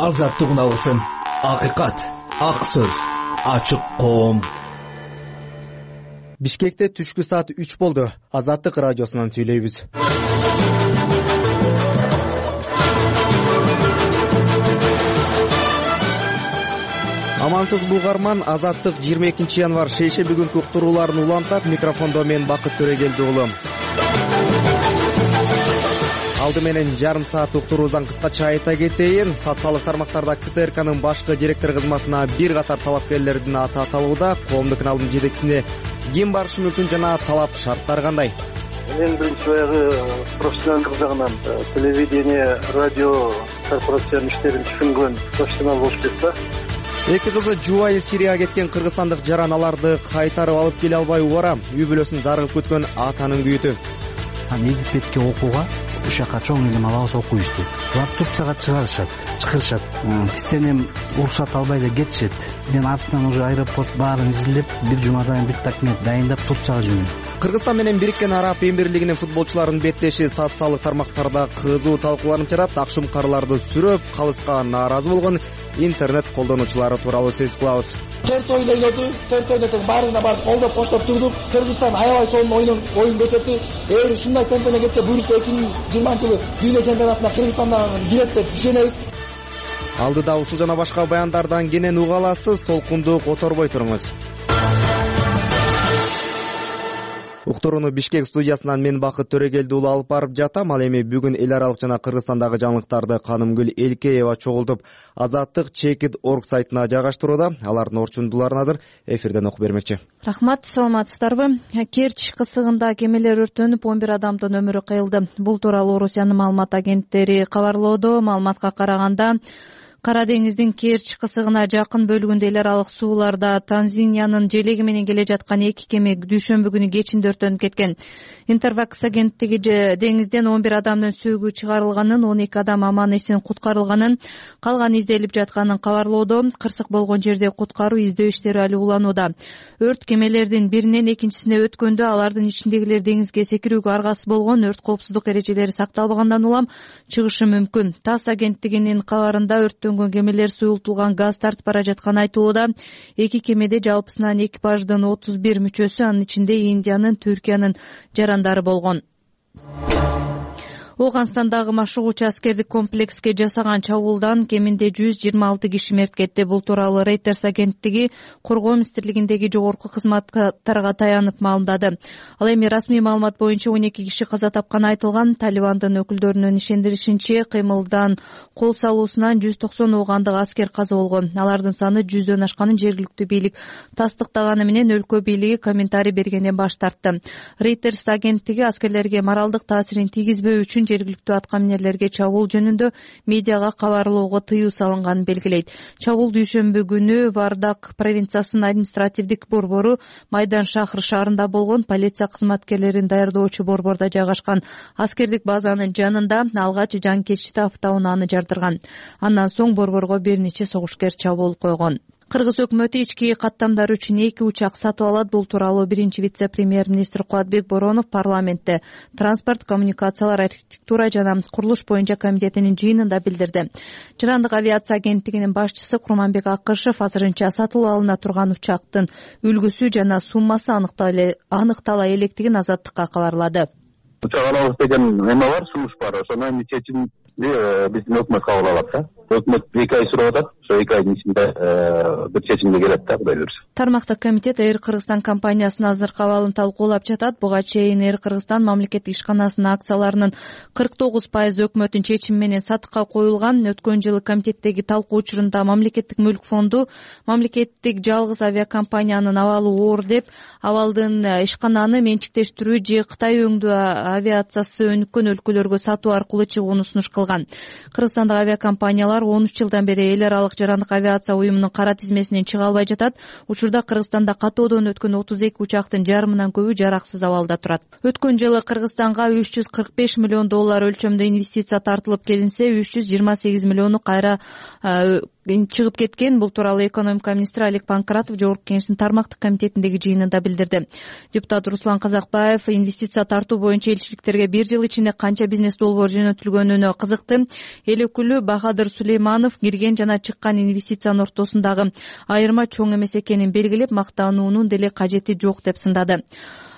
азаттыгын алсын. Акыйкат, ак сөз, ачык коом. Бишкекте түшкү саат 3 болду. Азаттык радиосунан сүйлөйбүз. Амансыз булгарман, Азаттык 22 январь шейшемби күнкү уктурууларын улантат. Микрофондо мен Бакыт Төрегелди уулу. Алды менен жарым саат уктуруубуздан кыскача айта кетейин. Социалдык тармактарда КТРКнын башкы директор кызматына бир катар талапкерлердин аты аталууда. Коомдук каналдын жетекчисине ким барышы мүмкүн жана талап шарттар кандай? Эң биринчи баягы профессионалдык жагынан телевидение, радио корпорациянын иштерин түшүнгөн профессионал болуш керек да. Эки кызы жубайы Сирияга кеткен кыргызстандык жаран аларды кайтарып алып келе албай убара. Үй бүлөсүн зарыгып күткөн атанын күйүтү. Египетке окууга үч жака чоң эле алабыз окуйбузду. Булар Турцияга чыгарышат. Бизден эми уруксат албай эле кетишет. Мен артынан уже аэропорт баарын изилдеп, бир жумадан бир документ дайындап Турцияга жүрдүм. Кыргызстан менен Бириккен Араб Эмирлигинин футболчуларынын беттеши социалдык тармактарда кызуу талкууланып жатат. Акшумкарларды сүрөп калыска нааразы болгон интернет колдонуучулары тууралуу сөз кылабыз. 4 ойун ойноду, 4 ойнотуп баарына барып колдоп коштоп турдук. Кыргызстан аябай сонун оюн көрсөттү. Эгер ушундай темпене кетсе, буюрса 2020-жылы дүйнө чемпионатына Кыргызстандан кирет деп ишенебиз. Алдыда ушул жана башка баяндардан кенен уга аласыз. Толкунду которбой туруңуз. Уктурууну Бишкек студиясынан мен Бакыт Төрегелди уулу алып барып жатам. Ал эми бүгүн эл аралык жана Кыргызстандагы жаңылыктарды Канымгүл Элкеева чогултуп Азаттык Checkit.org сайтына жайгаштырууда. Алардын орчундууларын азыр эфирден окуп бермекчи. Рахмат, саламатсыздарбы? Керчь кысыгында кемелер өрттөнүп 11 адамдын өмүрү кыйылды. Бул тууралуу Орусиянын маалымат агенттери кабарлоодо. Маалыматка караганда, Кара деңиздин Керчь кысыгына жакын бөлүгүндө эл аралык сууларда Танзаниянын желеги менен келе жаткан 2 кеме дүйшөмбү күнү кечинде өрттөнүп кеткен. Интерфакс агенттиги деңизден 11 адамдын сөөгү чыгарылганын, 12 адам аман эсен куткарылганын, калганы изделип жатканын кабарлоодо. Кырсык болгон жерде куткаруу издөө иштери али уланууда. Өрт кемелердин биринен экинчисине өткөндө алардын ичиндегилер деңизге секирүүгө аргасыз болгон, өрт коопсуздук эрежелери сакталбагандан улам чыгышы мүмкүн. ТАСС агенттигинин кабарында өрттөнгөн кемелер суюлтулган газ тартып бара жатканы айтылууда. 2 кемеде жалпысынан экипаждын 31 мүчөсү, анын ичинде Индиянын, Түркиянын жарандары болгон. Оганстандагы машыгуучу аскердик комплекске жасаган чабуулдан кеминде 126 киши мерт кетти. Бул тууралуу Reuters агенттиги коргоо министрлигиндеги жогорку кызматтарга таянып маалымдады. Ал эми расмий маалымат боюнча 12 киши каза тапканы айтылган. Талибандын өкүлдөрүнүн ишендиришинче, кыймылдан кол салуусунан 190 оогандык аскер каза болгон. Алардын саны 100дөн ашканын жергиликтүү бийлик тастыктаганы менен өлкө бийлиги комментарий бергенден баш тартты. Reuters агенттиги аскерлерге моралдык таасирин тийгизбөө үчүн жергиликтүү аткаминерлерге чабуул жөнүндө медиага кабарлоого тыюу салынганын белгилейт. Чабуул дүйшөмбү күнү Вардак провинциясынын административдик борбору Майдан шаһры шаарында болгон. Полиция кызматкерлерин даярдоочу борбордо жайгашкан аскердик базанын жанында алгач жанкечти автоунааны жардырган. Андан соң борборго бир нече согушкер чабуул койгон. Кыргыз өкмөтү ички каттамдар үчүн 2 учак сатып алат. Бул тууралуу биринчи вице-премьер-министр Кубатбек Боронов парламентте транспорт, коммуникациялар, архитектура жана курулуш боюнча комитетинин жыйынында билдирди. Жарандык авиация агенттигинин башчысы Курманбек Акышев азырынча сатылып алына турган учактын үлгүсү жана суммасы аныктала электигин Азаттыкка кабарлады. Учак алабыз деген эме бар, сунуш бар. Ошонун чечимин биздин өкмөт кабыл алат. Өкмөт 2 ай сурап атат. Ошо 2 айдын ичинде бир чечимге келет да, Кудай буюрса. Тармактык комитет Air Кыргызстан компаниясынын азыркы абалын талкуулап жатат. Буга чейин Air Кыргызстан мамлекеттик ишканасынын акцияларынын 49% өкмөттүн чечими менен сатыкка коюлган. Өткөн жылы комитеттеги талкуу учурунда мамлекеттик мүлк фонду мамлекеттик жалгыз авиакомпаниянын абалы оор деп, абалдын ишкананы менчиктештирүү же Кытай өңдүү авиациясы өнүккөн өлкөлөргө сатуу аркылуу чыгууну сунуш кылган. Кыргызстандагы авиакомпаниялар 13 жылдан бери эл аралык жарандык авиация уюмунун кара тизмесинен чыга албай жатат. Учурда Кыргызстанда катоодон өткөн 32 учактын жарымынан көбү жараксыз абалда турат. Өткөн жылы Кыргызстанга 345 миллион доллар өлчөмдө инвестиция тартылып келинсе, 328 миллиону кайра чыгып кеткен. Бул тууралуу экономика министри Олег Панкратов Жогорку Кеңештин тармактык комитетиндеги жыйынында билдирди. Депутат Руслан Казакбаев инвестиция тартуу боюнча элчиликтерге бир жыл ичинде канча бизнес долбоор жөнөтүлгөнүнө кызыкты. Эл өкүлү Бахадыр Сулейманов кирген жана чыккан инвестициянын ортосундагы айырма чоң эмес экенин белгилеп, мактануунун деле кажети жок деп сындады.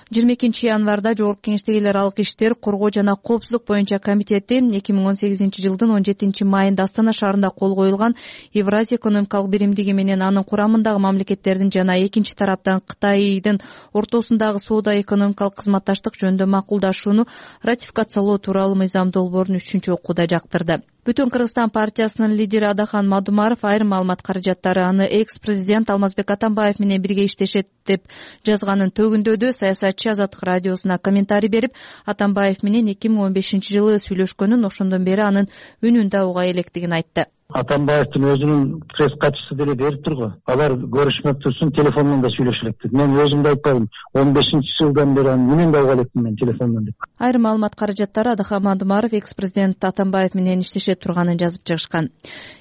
22-январда Жогорку Кеңештеги эл аралык иштер, коргоо жана коопсуздук боюнча комитети 2018-жылдын 17-майында Астана шаарында кол коюлган Евразия экономикалык биримдиги менен анын курамындагы мамлекеттердин жана экинчи тараптан Кытайдын ортосундагы соода экономикалык кызматташтык жөнүндө макулдашууну ратификациялоо тууралуу мыйзам долбоорун 3-чү окууда жактырды. Бүтүн Кыргызстан партиясынын лидери Адахан Мадумаров айрым маалымат каражаттары аны экс-президент Алмазбек Атамбаев менен бирге иштешет деп жазганын төгүндөдү. Саясатчы Азаттык радиосуна комментарий берип, Атамбаев менен 2015-жылы сүйлөшкөнүн, ошондон бери анын үнүн да уга электигин айтты. Атамбаевдин өзүнүн пресс катчысы деле берип тургу. Алар көрүшмөк турсун, телефондон да сүйлөшө элек. Мен өзүм да айтпадым. 15-жылдан бери анын үнүн да уга элекмин мен телефондон деп. Айрым маалымат каражаттары Адахан Мадумаров экс-президент Атамбаев менен иштеше турганын жазып чыгышкан.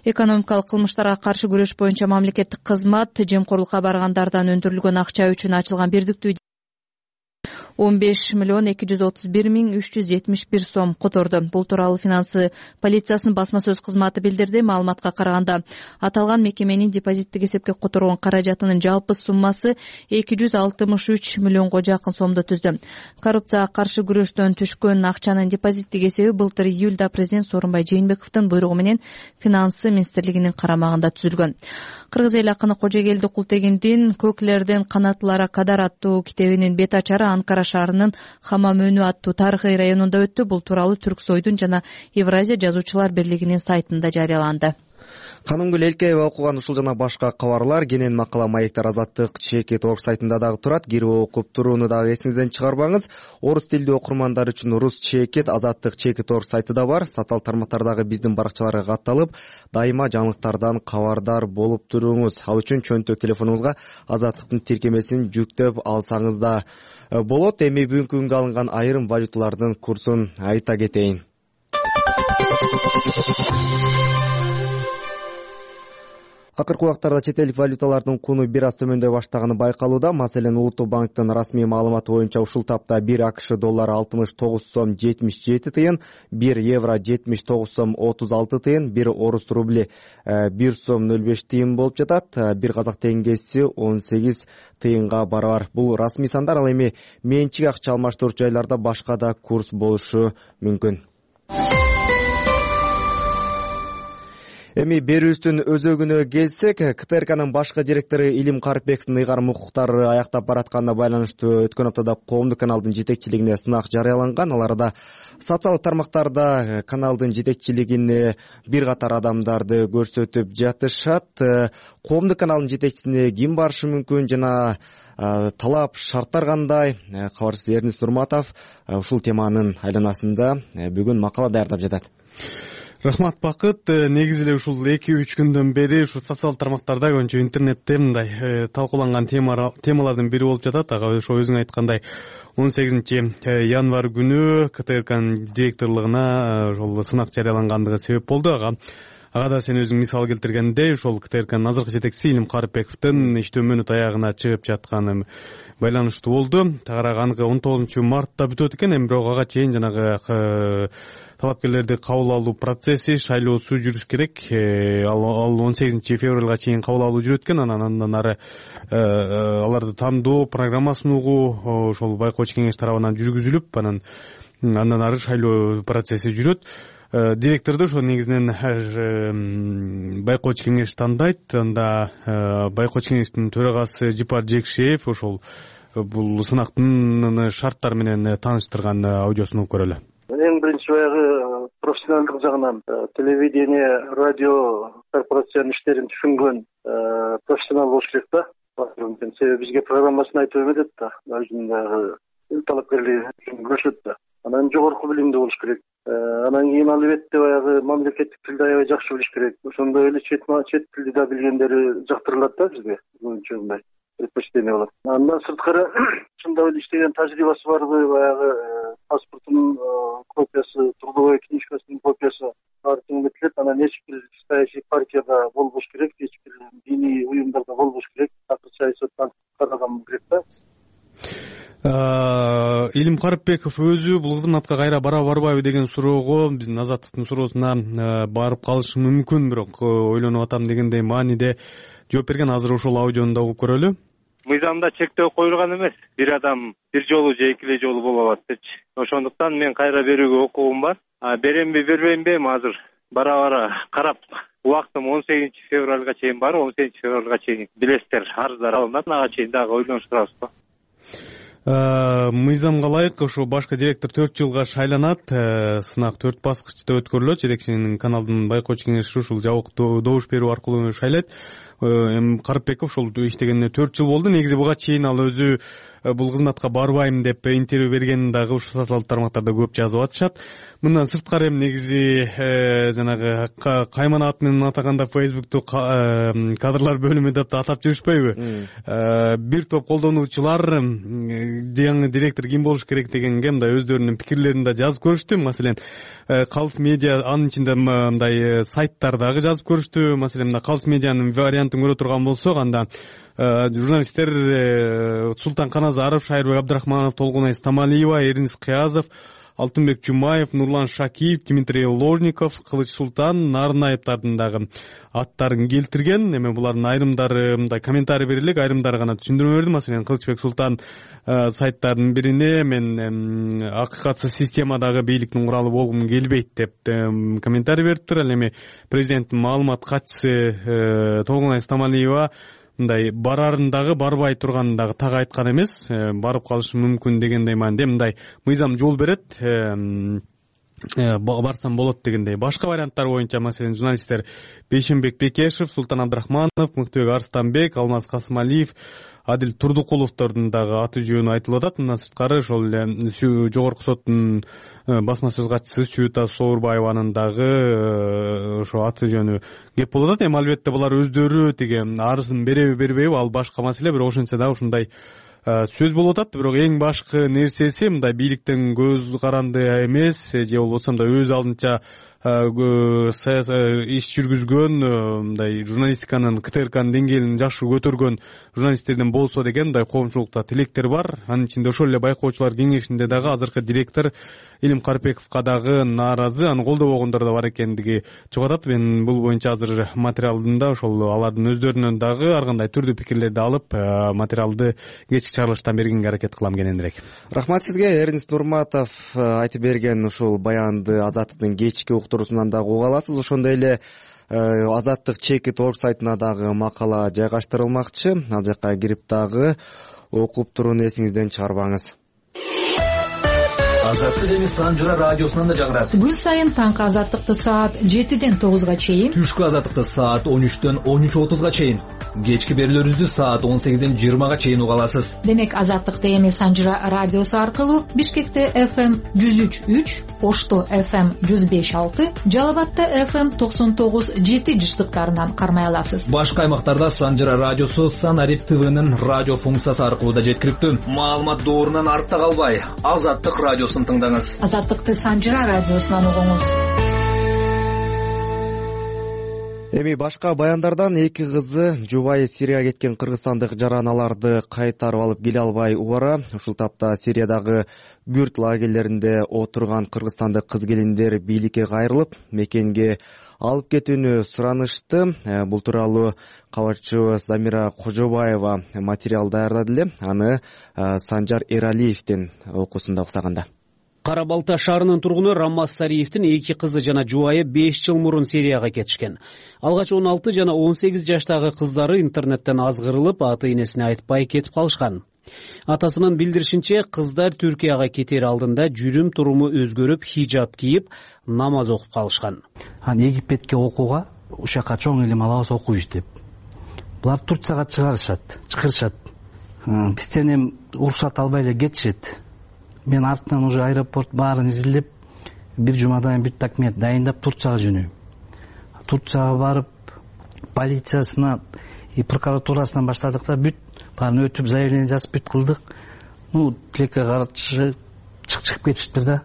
Экономикалык кылмыштарга каршы күрөш боюнча мамлекеттик кызмат жемкорлукка баргандардан өндүрүлгөн акча үчүн ачылган бирдиктүү 15,231,371 сом которду. Бул тууралуу финансы полициясынын басма сөз кызматы билдирди. Маалыматка караганда, аталган мекеменин депозиттик эсепке которгон каражатынын жалпы суммасы 263 миллионго жакын сомду түздү. Коррупцияга каршы күрөштөн түшкөн акчанын депозиттик эсеби былтыр июлда президент Сооронбай Жээнбековдун буйругу менен финансы министрлигинин карамагында түзүлгөн. Кыргыз эл акыны Кожогелди Култегиндин «Көклерден канатлара кадар» аттуу китебинин бет ачары Анкара шаарынын Хамам өнү аттуу тарыхый районунда өттү. Бул тууралуу Түрксойдун жана Евразия жазуучулар бирлигинин сайтында жарыяланды. Канымгүл Элкеева окуган ушул жана башка кабарлар кенен макала маектер Азаттык Чекит.org сайтында дагы турат. Кирип окуп турууну дагы эсиңизден чыгарбаңыз. Орус тилдүү окурмандар үчүн Рус Чекит Азаттык Чекит.org сайтыда бар. Социал тармактардагы биздин баракчаларга катталып, дайыма жаңылыктардан кабардар болуп туруңуз. Ал үчүн чөнтөк телефонуңузга Азаттыктын тиркемесин жүктөп алсаңыз да болот. Эми бүгүнкү күнгө алынган айрым валюталардын курсун айта кетейин. Акыркы убактарда чет элдик валюталардын куну бир аз төмөндөй баштаганы байкалууда. Маселен, Улуттук банктын расмий маалыматы боюнча ушул тапта 1 АКШ доллары 69 сом 77 тыйын, 1 евро 79 сом 36 тыйын, 1 орус рубли 1 сом 05 тыйын болуп жатат. 1 казак теңгеси 18 тыйынга барабар. Бул расмий сандар. Ал эми менчик акча алмаштыруучу жайларда башка да курс болушу мүмкүн. Эми берүүбүздүн өзөгүнө келсек, КТРКнын башкы директору Илим Карипбековдун ыйгарым укуктары аяктап баратканына байланыштуу өткөн аптада коомдук каналдын жетекчилигине сынак жарыяланган. Ал арада социалдык тармактарда каналдын жетекчилигине бир катар адамдарды көрсөтүп жатышат. Коомдук каналдын жетекчисине ким барышы мүмкүн жана талап шарттар кандай? Кабарчыбыз Эрнис Нурматов ушул теманын айланасында бүгүн макала даярдап жатат. Рахмат, Бакыт. Негизи эле ушул 2-3 күндөн бери ушу социалдык тармактарда көбүнчө интернетте мындай талкууланган темалардын бири болуп жатат. Ага ошо өзүң айткандай 18-январь күнү КТРКнын директорлугуна ошол сынак жарыялангандыгы себеп болду. Ага да сен өзүң мисал келтиргендей, ошол КТРКнын азыркы жетекчиси Илим Карипбековдун иштөө мөөнөт аягына чыгып жатканы байланыштуу болду. Тагыраак аныкы 19-мартта бүтөт экен, эми бирок ага чейин жанагы талапкерлерди кабыл алуу процесси, шайлоосу жүрүш керек. Ал 18-февралга чейин кабыл алуу жүрөт экен. Андан ары аларды тандоо программасын угуу ошол байкоочу кеңеш тарабынан жүргүзүлүп, андан ары шайлоо процесси жүрөт. Директорду ошо негизинен байкоочу кеңеш тандайт. Анда байкоочу кеңештин төрагасы Жипар Жекшеев ошол бул сынактын шарттары менен тааныштырган аудиосун угуп көрөлү. Эң биринчи баягы профессионалдык жагынан телевидение, радио корпорациянын иштерин түшүнгөн профессионал болуш керек да. Себеби бизге программасын айтып эметет да. Өзүнүн баягы талапкерлигин көрсөтөт да. Анан жогорку билимдүү болуш керек. Анан кийин албетте баягы мамлекеттик тилди аябай жакшы билиш керек. Ошондой эле чет тилди да билгендери жактырылат да бизге. Көбүнчө мындай предпочтение болот. Андан сырткары чындап эле иштеген тажрыйбасы барбы, баягы паспортунун трудовой книжкасынын копиясы баары теңдетилет. Анан эч бир саясий партияда болбош керек. Илим Карыпбеков өзү бул кызматка кайра барбайбы деген суроого биздин Азаттыктын суроосуна барып калышы мүмкүн, бирок ойлонуп атам дегендей мааниде жооп берген. Азыр ошол аудиону да угуп көрөлү. Мыйзамда чектөө коюлган эмес. Бир адам бир жолу же экиле жолу боло алат депчи. Ошондуктан мен кайра берүүгө укугум бар. Беремби, бербеймби, азыр бара карап, убактым 18 февралга чейин бар. 18 февралга чейин билесиздер, арыздар алынат. Ага чейин дагы ойлонуп турабызбы? Мыйзамга ылайык ошо башкы директор 4 жылга шайланат. Сынак 4 баскычта өткөрүлөт. Жетекчинин каналдын байкоочу кеңеши ушул жабык добуш берүү аркылуу шайлайт. Карыпбеков ошол иштегенине 4 жыл болду. Негизи буга чейин ал өзү бул кызматка барбайм деп интервью бергенин дагы ушул социалдык тармактарда көп жазып атышат. Мындан сырткары эми негизи жанагы кайман ат менен атаганда Facebook'ту кадрлар бөлүмү деп атап жүрүшпөйбү? Бир топ колдонуучулар жаңы директор ким болуш керек дегенге мындай өздөрүнүн пикирлерин да жазып көрүштү. Маселен, Калс медиа, анын ичинде мындай сайттар дагы жазып көрүштү. Маселен, Калс медианын вариантын көрө турган болсок, анда журналисттер Султан Каназаров, Шайырбек Абдрахманов, Толгунай Стамалиева, Эрнис Кыязов, Алтынбек Чумаев, Нурлан Шакиев, Дмитрий Ложников, Кылыч Султан, Нарынаевдардын дагы аттарын келтирген. Эми булардын айрымдары мындай комментарий берилек, айрымдары гана түшүндүрмө берди. Маселен, Кылычбек Султан сайттардын бирине мен акыкатсыз системадагы бийликтин куралы болгум келбейт деп комментарий бериптир. Ал эми президенттин маалымат катчысы Толгунай Стамалиева мындай барарын дагы барбай турганын дагы так айткан эмес, барып калышы мүмкүн дегендей маанде. Мындай мыйзам жол берет, барсам болот дегендей. Башка варианттар боюнча, маселен, журналисттер Бейшенбек Бекешев, Султан Абдрахманов, Мыктыбек Арстанбек, Алмаз Касымалиев, Адил Турдукуловдордун дагы аты жөнү айтылып атат. Мындан сырткары ошол эле жогорку соттун басма сөз катчысы Сүйүта Соорбаеванын дагы ошо аты жөнү кеп болуп атат. Эми албетте булар өздөрү тиги арызын береби бербейби ал башка маселе, бирок ошентсе да ушундай сөз болуп атат. Бирок эң башкы нерсеси мындай бийликтен көз каранды эмес, же болбосо мындай өз алдынча иш жүргүзгөн, мындай журналистиканын КТРКнын деңгээлин жакшы көтөргөн журналисттерден болсо деген мындай коомчулукта тилектер бар. Анын ичинде ошол эле байкоочулар кеңешинде дагы азыркы директор Илим Карыпбековго дагы нааразы, аны колдобогондор да бар экендиги чыгып атат. Мен бул боюнча азыр материалдында ошол алардын өздөрүнөн дагы ар кандай түрдүү пикирлерди алып, материалды кечки чыгарылыштан бергенге аракет кылам кененирээк. Рахмат сизге. Эрнис Нурматов айтып берген ушул баянды Азаттыктын кечки уктуруусунан дагы уга аласыз. Ошондой эле Азаттык Чекит орг сайтына дагы макала жайгаштырылмакчы. Ал жакка кирип дагы окуп турууну эсиңизден чыгарбаңыз. Азаттык эми Санжыра радиосунан да жагырат. Күн сайын таңкы Азаттыкты саат 7-ден 9-га чейин, түшкү Азаттыкты саат 13-төн 13:30-га чейин, кечки берүүлөрүбүздү саат 18-ден 20-га чейин уга аласыз. Демек Азаттыкты эми Санжыра радиосу аркылуу Бишкекте FM 103.3, Ошто FM 105.6, Жалал-Абадта FM 99.7 жыштыктарынан кармай аласыз. Башка аймактарда Санжыра радиосу Санарип ТВнын радио функциясы аркылуу да жеткиликтүү. Маалымат доорунан артта калбай, Азаттык радиосун тыңдаңыз. Азаттыкты Санжыра радиосунан угуңуз. Эми башка баяндардан эки кызы жубайы Сирияга кеткен кыргызстандык жараналарды кайтарып алып келе албай убара. Ушул тапта Сириядагы күрд лагерлеринде отурган кыргызстандык кыз келиндер бийликке кайрылып, мекенге алып кетүүнү суранышты. Бул тууралуу кабарчыбыз Замира Кожобаева материал даярдады эле. Аны Санжар Эралиевдин окуусунда уксаганда. Кара Балта шаарынын тургуну Раммаз Сариевдин эки кызы жана жубайы 5 жыл мурун Сирияга кетишкен. Алгач 16 жана 18 жаштагы кыздары интернеттен азгырылып, ата-энесине айтпай кетип калышкан. Атасынын билдиришинче, кыздар Түркияга кетер алдында жүрүм туруму өзгөрүп, хижаб кийип, намаз окуп калышкан. Египетке окууга ушакка чоң илим алабыз окуйбуз деп. Булар Турцияга чакырышат. Бизден эми уруксат албай эле кетишет. Мен артынан уже аэропорт баарын изилдеп, бир жумадан бир документ дайындап Турцияга жөнөйм. Турцияга барып, полициясына и прокуратурасынан баштадык да бүт баарын өтүп, заявление жазып бүт кылдык. Тилекке каршы чыгып кетиштир да,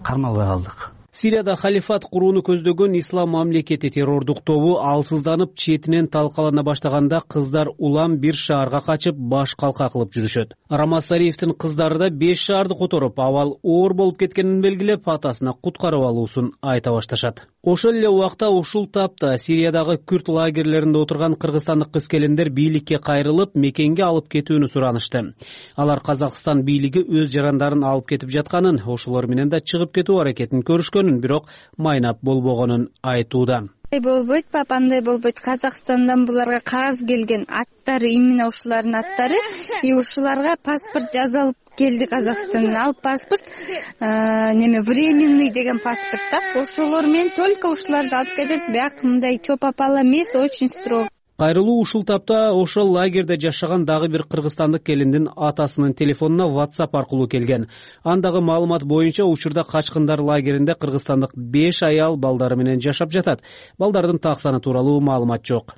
кармалбай калдык. Сирияда халифат курууну көздөгөн ислам мамлекети террордук тобу алсызданып четинен талкалана баштаганда кыздар улам бир шаарга качып баш калка кылып жүрүшөт. Рамаз Сариевдин кыздары да 5 шаарды которуп, абал оор болуп кеткенин белгилеп, атасына куткарып алуусун айта башташат. Ошол эле убакта ушул тапта Сириядагы күрд лагерлеринде отурган кыргызстандык кыз-келиндер бийликке кайрылып, мекенге алып кетүүнү суранышты. Алар Казакстан бийлиги өз жарандарын алып кетип жатканын, ошолор менен да чыгып кетүү аракетин көрүшкөнүн, бирок майнап болбогонун айтууда. Болбойт, андай болбойт. Казакстандан буларга кагаз келген, аттары именно ушулардын аттары, ушуларга паспорт жазылып келди Казакстандан. Ал паспорт временный деген паспорт да. Ошолор менен только ушуларды алып кетет. Бирок мындай чопапала эмес, очень строго. Кайрылуу ушул тапта ошол лагерде жашаган дагы бир кыргызстандык келиндин атасынын телефонуна WhatsApp аркылуу келген. Андагы маалымат боюнча учурда качкындар лагеринде кыргызстандык 5 аял балдары менен жашап жатат. Балдардын так саны тууралуу маалымат жок.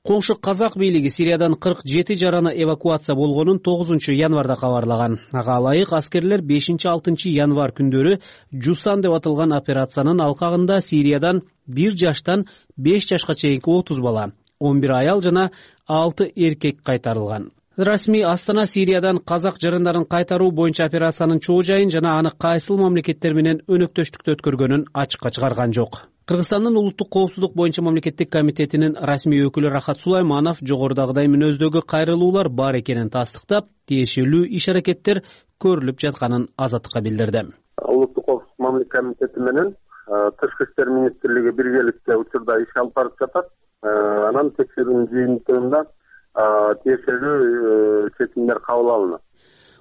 Коңшу казак бийлиги Сириядан 47 жараны эвакуация болгонун 9 январда кабарлаган. Ага ылайык аскерлер 5-6 январ күндөрү Жусан деп аталган операциянын алкагында Сириядан 1 жаштан 5 жашка чейинки 30 бала, 11 аял жана 6 эркек кайтарылган. Расмий Астана Сириядан казак жарандарын кайтаруу боюнча операциянын чоо жайын жана аны кайсыл мамлекеттер менен өнөктөштүктө өткөргөнүн ачыкка чыгарган жок. Кыргызстандын улуттук коопсуздук боюнча мамлекеттик комитетинин расмий өкүлү Рахат Сулайманов жогорудагыдай мүнөздөгү кайрылуулар бар экенин тастыктап, тиешелүү иш-аракеттер көрүлүп жатканын Азаттыкка билдирди. Улуттук коопсуздук мамлекеттик комитети менен Тышкы иштер министрлиги биргеликте учурда иш алып барып жатат. Анан текшерүүнүн жыйынтыгында тиешелүү чечимдер кабыл алынат.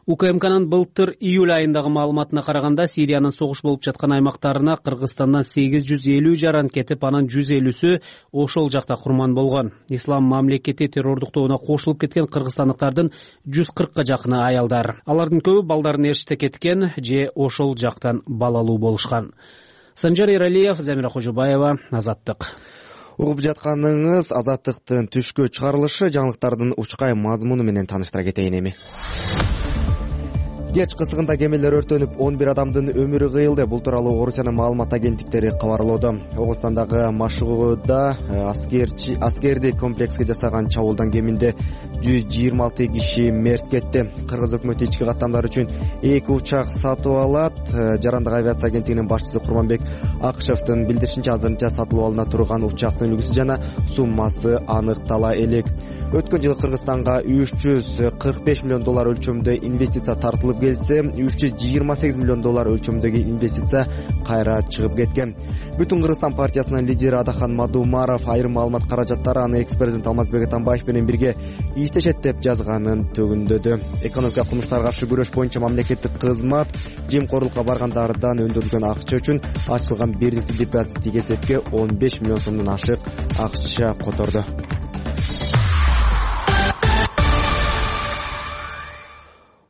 УКМКнын былтыр июль айындагы маалыматына караганда Сириянын согуш болуп жаткан аймактарына Кыргызстандан 850 жаран кетип, анан 150сү ошол жакта курман болгон. Ислам мамлекети террордук тобуна кошулуп кеткен кыргызстандыктардын 140ка жакыны аялдар. Алардын көбү балдарын ээрчите кеткен же ошол жактан балалуу болушкан. Санжар Эралиев, Замира Кожобаева, Азаттык. Угуп жатканыңыз Азаттыктын түшкө чыгарылышы. Жаңылыктардын учкай мазмуну менен тааныштыра кетейин эми. Кеч кысыгында кемелер өртөнүп 11 адамдын өмүрү кыйылды. Бул тууралуу Орусиянын маалымат агенттиктери кабарлоодо. Огустандагы Машыгууда аскерди комплекске жасаган чабуулдан кеминде 126 киши мерт кетти. Кыргыз өкмөтү ички каттамдар үчүн 2 учак сатып алат. Жарандык авиация агенттигинин башчысы Курманбек Акышевдин билдиришинче, азырынча сатылып алына турган учактын үлгүсү жана суммасы аныктала элек. Өткөн жылы Кыргызстанга $345 миллион өлчөмдө инвестиция тартылып келсе, $328 миллион өлчөмдөгү инвестиция кайра чыгып кеткен. Бүтүн Кыргызстан партиясынын лидери Адахан Мадумаров айрым маалымат каражаттары аны экс-президент Алмазбек Атамбаев менен бирге иштешет деп жазганын төгүндөдү. Экономикалык кылмыштарга каршы күрөш боюнча мамлекеттик кызмат жемкорлукка баргандардан өндүрүлгөн акча үчүн ачылган бирдиктүү депозиттик эсепке 15 миллион сомдон ашык акча которду.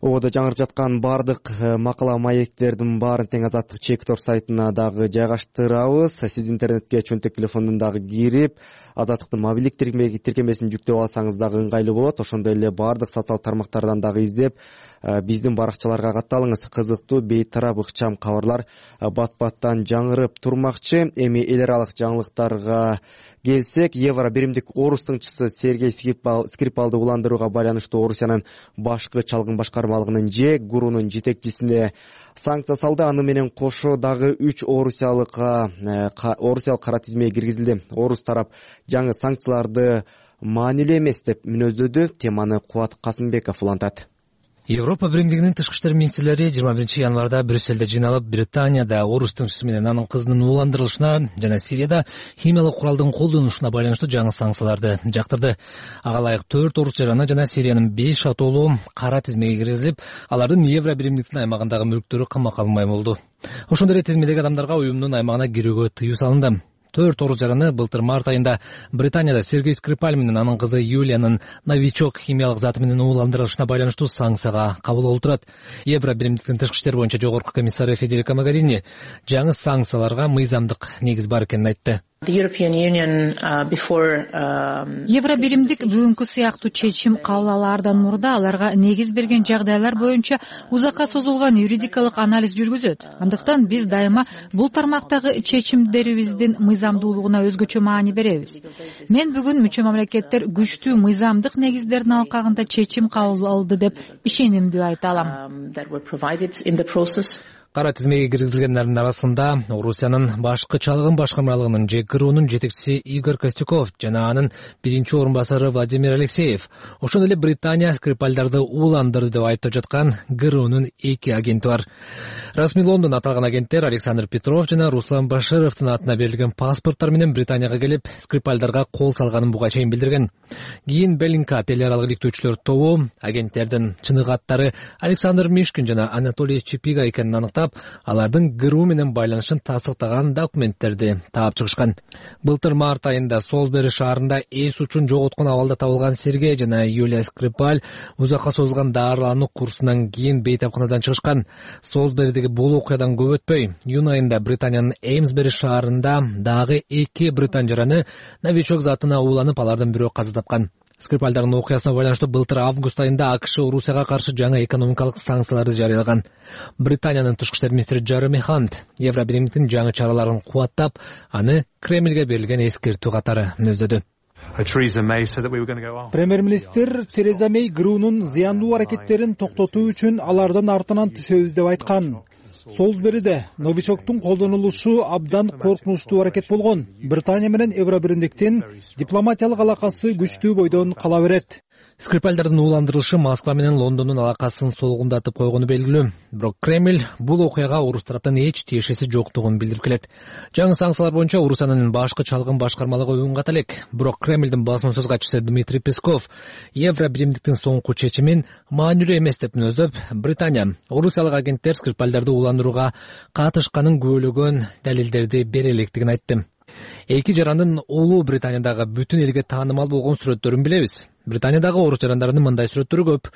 Ободо жаңырып жаткан бардык макала маектердин баарын тең Азаттык Чек.org сайтына дагы жайгаштырабыз. Сиз интернетке чөнтөк телефондон дагы кирип, Азаттыктын мобилдик тиркемесин жүктөп алсаңыз дагы ыңгайлуу болот. Ошондой эле бардык социалдык тармактардан дагы издеп, биздин баракчаларга катталыңыз. Кызыктуу, бейтарап, ыкчам кабарлар бат-баттан жаңырып турмакчы. Эми эл аралык жаңылыктарга келсек, евро биримдик орус тыңчысы Сергей Скрипалды уландырууга байланыштуу Орусиянын башкы чалгын башкармалыгынын ГУРунун жетекчисине санкция салды. Аны менен кошо дагы 3 орусиялык кара тизмеге киргизилди. Орус тарап жаңы санкцияларды маанилүү эмес деп мүнөздөдү. Теманы Кубат Касымбеков улантат. Европа биримдигинин тышкы иштер министрлери 21 январда Брюссельде жыйналып, Британияда орус тыңчысы менен анын кызынын уландырылышына жана Сирияда химиялык куралдын колдонулушуна байланыштуу жаңы санкцияларды жактырды. Ага ылайык 4 орус жараны жана Сириянын 5 атоолуу кара тизмеге киргизилип, алардын евро биримдиктин аймагындагы мүлктөрү камакка алынбай болду. Ошондой эле тизмедеги адамдарга уюмдун аймагына кирүүгө тыюу салынды. 4 орус жараны былтыр март айында Британияда Сергей Скрипаль менен анын кызы Юлиянын новичок химиялык заты менен уландырылышына байланыштуу санкцияга кабыл болуп турат. Евро биримдиктин тышкы иштер боюнча жогорку комиссары Федерико Магарини жаңы санкцияларга мыйзамдык негиз бар экенин айтты. Евро биримдик бүгүнкү сыяктуу чечим кабыл алаардан мурда аларга негиз берген жагдайлар боюнча узакка созулган юридикалык анализ жүргүзөт. Андыктан биз дайыма бул тармактагы чечимдерибиздин мыйзамдуулугуна өзгөчө маани беребиз. Мен бүгүн мүчө мамлекеттер күчтүү мыйзамдык негиздердин алкагында чечим кабыл алды деп ишенимдүү айта алам. Кара тизмеге киргизилгендердин арасында Орусиянын башкы чалгын башкармалыгынын ЖКРУнун жетекчиси Игорь Костюков жана анын биринчи орун басары Владимир Алексеев, ошондой эле Британия Скрипальдарды ууландырды деп айыптап жаткан ГРУнун 2 агенти бар. Расмий Лондон аталган агенттер Александр Петров жана Руслан Башировдун атына берилген паспорттор менен Британияга келип, Скрипальдарга кол салганын буга чейин билдирген. Кийин Беллинка эл аралык иликтөөчүлөр тобу агенттердин чыныгы аттары Александр Мишкин жана Анатолий Чипига экенин аныктап, алардын ГРУ менен байланышын тастыктаган документтерди таап чыгышкан. Былтыр март айында Солсбери шаарында эс учун жоготкон абалда табылган Сергей жана Юлия Скрипаль узакка созулган дарылануу курсунан кийин бейтапканадан чыгышкан. Солсберидеги бул окуядан көп өтпөй, июнь айында Британиянын Эймсбери шаарында дагы 2 британ жараны новичок затына ууланып, алардын бирөө каза тапкан. Скрипальдардын окуясына байланыштуу былтыр август айында АКШ Орусияга каршы жаңы экономикалык санкцияларды жарыялаган. Британиянын тышкы иштер министри Джереми Хант Евро биримдиктин жаңы чараларын кубаттап, аны Кремльге берилген эскертүү катары мүнөздөдү. Премьер-министр Тереза Мей ГРУнун зыяндуу аракеттерин токтотуу үчүн алардын артынан түшөбүз деп айткан. Солсбериде новичоктун колдонулушу абдан коркунучтуу аракет болгон. Британия менен Евро биримдиктин дипломатиялык алакасы күчтүү бойдон кала берет. Скрипальдардын ууландырылышы Москва менен Лондондун алакасын солгундатып койгону белгилүү. Бирок Кремль бул окуяга орус тараптан эч тиешеси жоктугун билдирип келет. Жаңы санкциялар боюнча Орусиянын башкы чалгын башкармалыгы үн ката элек. Бирок Кремльдин басма сөз катчысы Дмитрий Песков Евро биримдиктин соңку чечимин маанилүү эмес деп мүнөздөп, Британия орусиялык агенттер Скрипальдарды ууландырууга катышканын күбөлөгөн далилдерди бере электигин айтты. Эки жарандын Улуу Британиядагы бүтүн элге таанымал болгон сүрөттөрүн билебиз. Британиядагы орус жарандарынын мындай сүрөттөрү көп.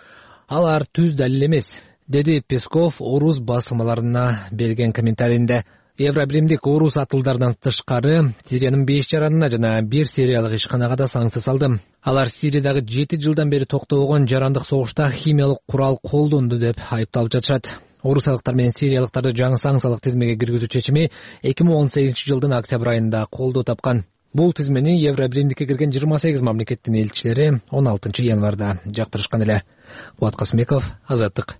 Алар түз далил эмес, деди Песков орус басылмаларына берген комментарийинде. Евро биримдик орус атылдарынан тышкары Сириянын 5 жаранына жана 1 сириялык ишканага да санкция салды. Алар Сириядагы 7 жылдан бери токтобогон жарандык согушта химиялык курал колдонду деп айыпталып жатышат. Орусиялыктар менен сириялыктарды жаңы санкциялык тизмеге киргизүү чечими 2018 жылдын октябрь айында колдоо тапкан. Бул тизмени Евро биримдикке кирген 28 мамлекеттин элчилери 16 январда жактырышкан эле. Кубат Касымбеков, Азаттык.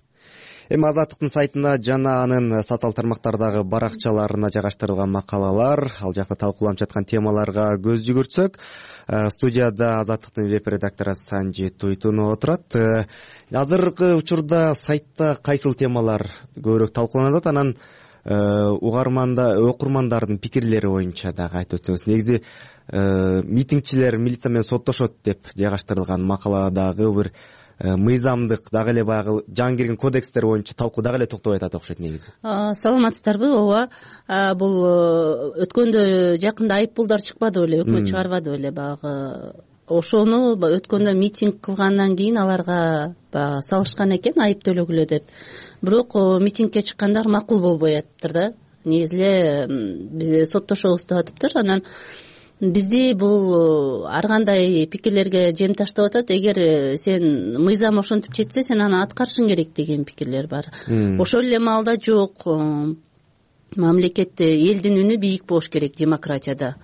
Эми Азаттыктын сайтына жана анын социал тармактардагы баракчаларына жайгаштырылган макалалар, ал жакта талкууланып жаткан темаларга көз жүгүртсөк, студияда Азаттыктын веб-редактору Санжи Туйтунова отурат. Азыркы учурда сайтта кайсыл темалар көбүрөөк талкууланып атат, анан окурмандардын пикирлери боюнча дагы айтып өтсөңүз. Негизи митингчилер милиция менен соттошот деп жайгаштырылган макаладагы бир мыйзамдык дагы эле баягы жаңы кирген кодекстер боюнча талкуу дагы эле токтобой атат окшойт негизи. Саламатсыздарбы? Ооба. Бул өткөндө жакында айыппулдар чыкпады беле, өкмөт чыгарбады беле баягы. Ошону өткөндө митинг кылгандан кийин аларга салышкан экен айып төлөгүлө деп. Бирок митингке чыккандар макул болбой атыптыр да. Негизи эле биз соттошобуз деп атыптыр. Анан бизди бул ар кандай пикирлерге жем таштап атат. Эгер сен мыйзам ошентип жетсе, сен аны аткарышың керек деген пикирлер бар. Ошол эле маалда жок, мамлекетте элдин үнү бийик болуш керек демократияда.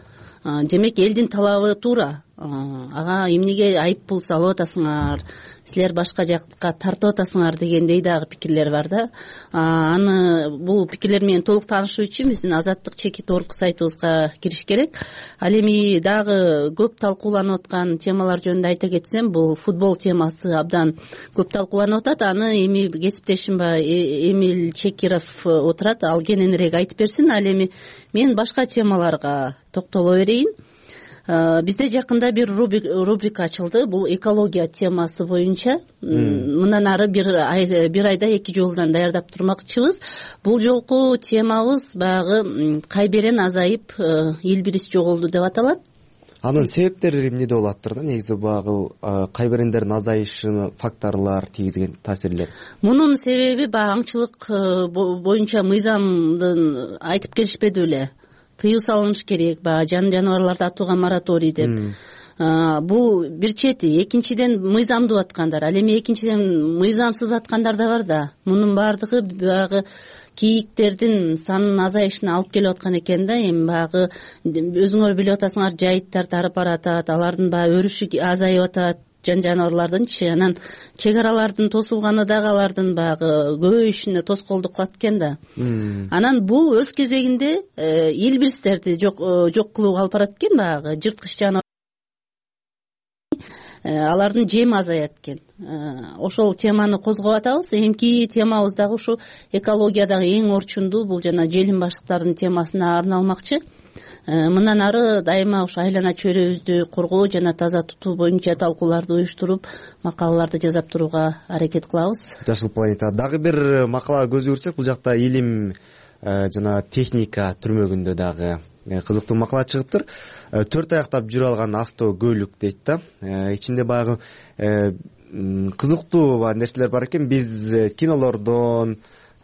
Демек элдин талабы туура. Ага эмнеге айыппул салып атасыңар, силер башка жакка тартып атасыңар дегендей дагы пикирлер бар да. Аны бул пикирлер менен толук таанышуу үчүн биздин Азаттык.org сайтыбызга кириш керек. Ал эми дагы көп талкууланып аткан темалар жөнүндө айта кетсем, бул футбол темасы абдан көп талкууланып атат. Аны эми кесиптешим Эмиль Чекиров отурат, ал кененирээк айтып берсин. Ал эми мен башка темаларга токтоло берейин. Бизде жакында бир рубрика ачылды. Бул экология темасы боюнча. Мындан ары бир айда 2 жолунан даярдап турмакчыбыз. Бул жолку темабыз баягы кайберен азайып, эл бирис жоголду деп аталат. Анын себептери эмнеде болоттур да? Негизи багыл кайберендердин азайышына факторлор тийгизген таасирлер. Мунун себеби аңчылык боюнча мыйзамдын айтып келишпеди беле. тыюу салыныш керек, баягы жан жаныбарларды атууга мораторий деп. Бул бир чети. Экинчиден мыйзамдуу аткандар. Ал эми экинчиден мыйзамсыз аткандар да бар да. Мунун баардыгы баягы кийиктердин санынын азайышына алып келип аткан экен да. Эми баягы өзүңөр билип атасыңар, жайыттар тарып баратат, алардын баягы өрүшү азайып атат, жан жаныбарлардынчы. Анан чек аралардын тосулганы дагы алардын баягы көбөйүшүнө тоскоолдук кылат экен да. Анан бул өз кезегинде илбирстерди жок кылууга алып барат экен, баягы жырткыч жаныбар алардын жеми азаят экен. Ошол теманы козгоп атабыз. Эмки темабыз дагы ушу экологиядагы эң орчундуу, бул жана желим баштыктардын темасына арналмакчы. Мындан ары дайыма ушу айлана чөйрөбүздү коргоо жана таза тутуу боюнча талкууларды уюштуруп, макалаларды жасап турууга аракет кылабыз. Жашыл планета дагы бир макалага көз жүгүртсөк, бул жакта илим жана техника түрмөгүндө дагы кызыктуу макала чыгыптыр. 4 аяктап жүрө алган автокөлүк дейт да. Ичинде баягы кызыктуу нерселер бар экен. Биз кинолордон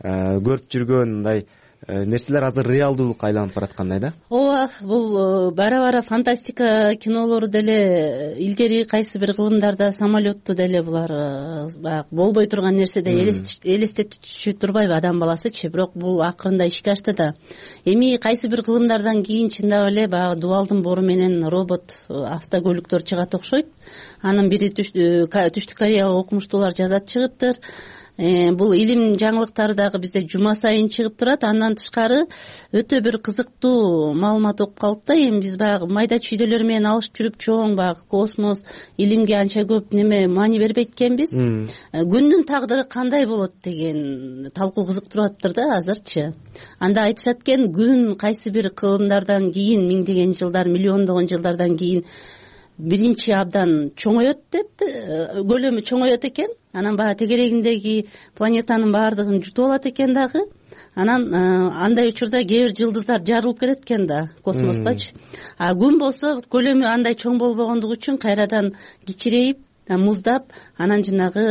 көрүп жүргөн мындай нерселер азыр реалдуулукка айланып бараткандай да. Ооба, бул бара фантастика кинолору деле, илгери кайсы бир кылымдарда самолетту деле булар баягы болбой турган нерседе элестетиши турбайбы адам баласычы, бирок бул акырында ишке ашты да. Эми кайсы бир кылымдардан кийин чындап эле баягы дубалдын бору менен робот автокөлүктөр чыгат окшойт. Анын бири түштүк кореялык окумуштуулар жасап чыгыптыр. Бул илим жаңылыктары дагы бизде жума сайын чыгып турат. Андан тышкары өтө бир кызыктуу маалымат окуп калып да. Эми биз баягы майда чүйдөлөр менен алышып жүрүп чоң баягы космос, илимге анча көп маани бербейт экенбиз. Күндүн тагдыры кандай болот деген талкуу кызыктырып атыптыр да азырчы. Анда айтышат экен, күн кайсы бир кылымдардан кийин, миңдеген жылдар, миллиондогон жылдардан кийин биринчи абдан чоңоет деп, көлөмү чоңоет экен. Анан баягы тегерегиндеги планетанын баардыгын жутуп алат экен дагы. Анан андай учурда кээ бир жылдыздар жарылып кетет экен да космоскачы. Күн болсо көлөмү андай чоң болбогондугу үчүн кайрадан кичирейип, муздап, анан жанагы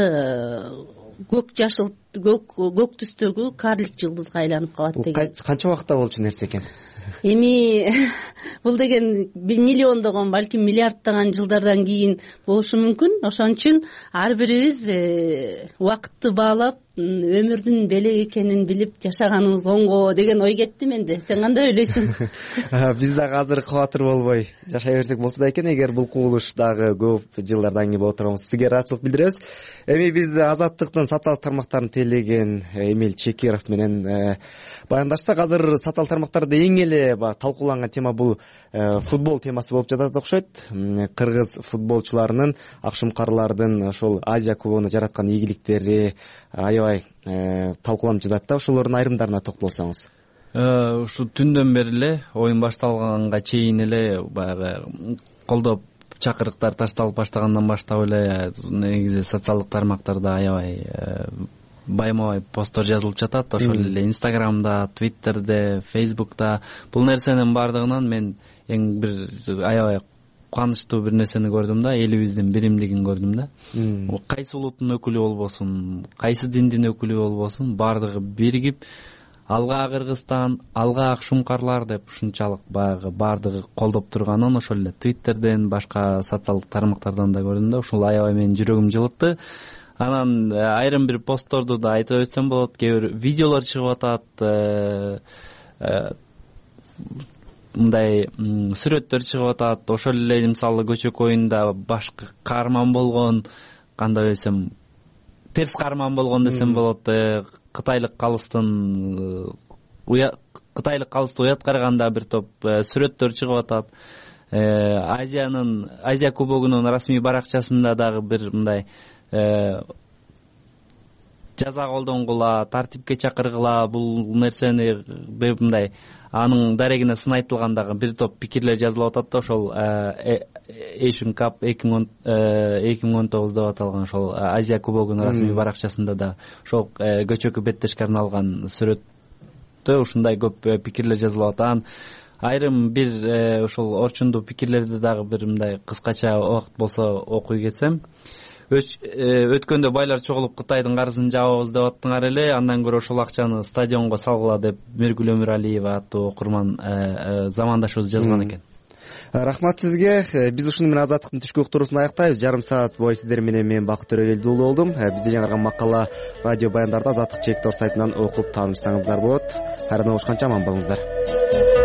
көк түстөгү карлик жылдызга айланып калат деген. Канча убакытта болчу нерсе экен? Эми бул деген миллиондогон, балким миллиарддаган жылдардан кийин болушу мүмкүн. Ошон үчүн ар бирибиз убакытты баалап, өмүрдүн белек экенин билип жашаганыбыз оңго деген ой кетти менде. Сен кандай ойлойсуң? Биз дагы азыр кабатыр болбой жашай берсек болчу да экен, эгер бул кубулуш дагы көп жылдардан кийин боло турганбыз. Сизге ыраазычылык билдиребиз. Эми биз Азаттыктын социалдык тармактарын тейлеген Эмиль Чекиров менен баяндашсак, азыр социалдык тармактарда эң эле талкууланган тема бул футбол темасы болуп жатат окшойт. Кыргыз футболчуларынын, акшумкарлардын ошол Азия кубогуна жараткан ийгиликтери аябай талкууланып жатат да. Ошолордун айрымдарына токтолсоңуз. Ушу түндөн бери эле, оюн башталганга чейин эле баягы колдоп чакырыктар ташталып баштагандан баштап эле негизи социалдык тармактарда аябай байма-бай посттор жазылып жатат. Ошол эле Инстаграмда, Твиттерде, Фейсбукта. Бул нерсенин баардыгынан мен эң бир аябай кубанычтуу бир нерсени көрдүм да, элибиздин биримдигин көрдүм да. Кайсы улуттун өкүлү болбосун, кайсы диндин өкүлү болбосун, баардыгы биригип алга Кыргызстан, алга акшумкарлар деп ушунчалык баягы баардыгы колдоп турганын ошол эле Твиттерден, башка социалдык тармактардан да көрдүм да. Ушул аябай менин жүрөгүм жылытты. Анан айрым бир постторду да айтып өтсөм болот. Кээ бир видеолор чыгып атат, мындай сүрөттөр чыгып атат. Ошол эле мисалы көчөк оюнда башкы каарман болгон, кандай десем, терс каарман болгон десем болот. Кытайлык калыстын уят караганда бир топ сүрөттөр чыгып атат. Азия кубогунун расмий баракчасында дагы бир мындай жаза колдонгула, тартипке чакыргыла, бул нерсени мындай анын дарегине сынайтылгандагы бир топ пикирлер жазылып атат да. Ошол Asian Cup 2019 деп аталган ошол Азия кубогунун расмий баракчасында да ошол көчөккө беттешке арналган сүрөттө ушундай көп пикирлер жазылып атат. Айрым бир ошол орчундуу пикирлерди дагы бир мындай кыскача убакыт болсо окуй кетсем, өткөндө байлар чогулуп Кытайдын карызын жабабыз деп аттыңар эле, андан көрө ошол акчаны стадионго салгыла деп Миргүл Өмүралиева аттуу окурман замандашыбыз жазган экен. Рахмат сизге. Биз ушуну менен Азаттыктын түшкү уктуруусун аяктайбыз. Жарым саат бою сиздер менен мен Бакыт Төрөгелди уулу болдум. Бизде жаңырган макала радио баяндарды Азаттык чек.org сайтынан окуп таанышсаңыздар болот. Кайрадан жолугушканча аман болуңуздар.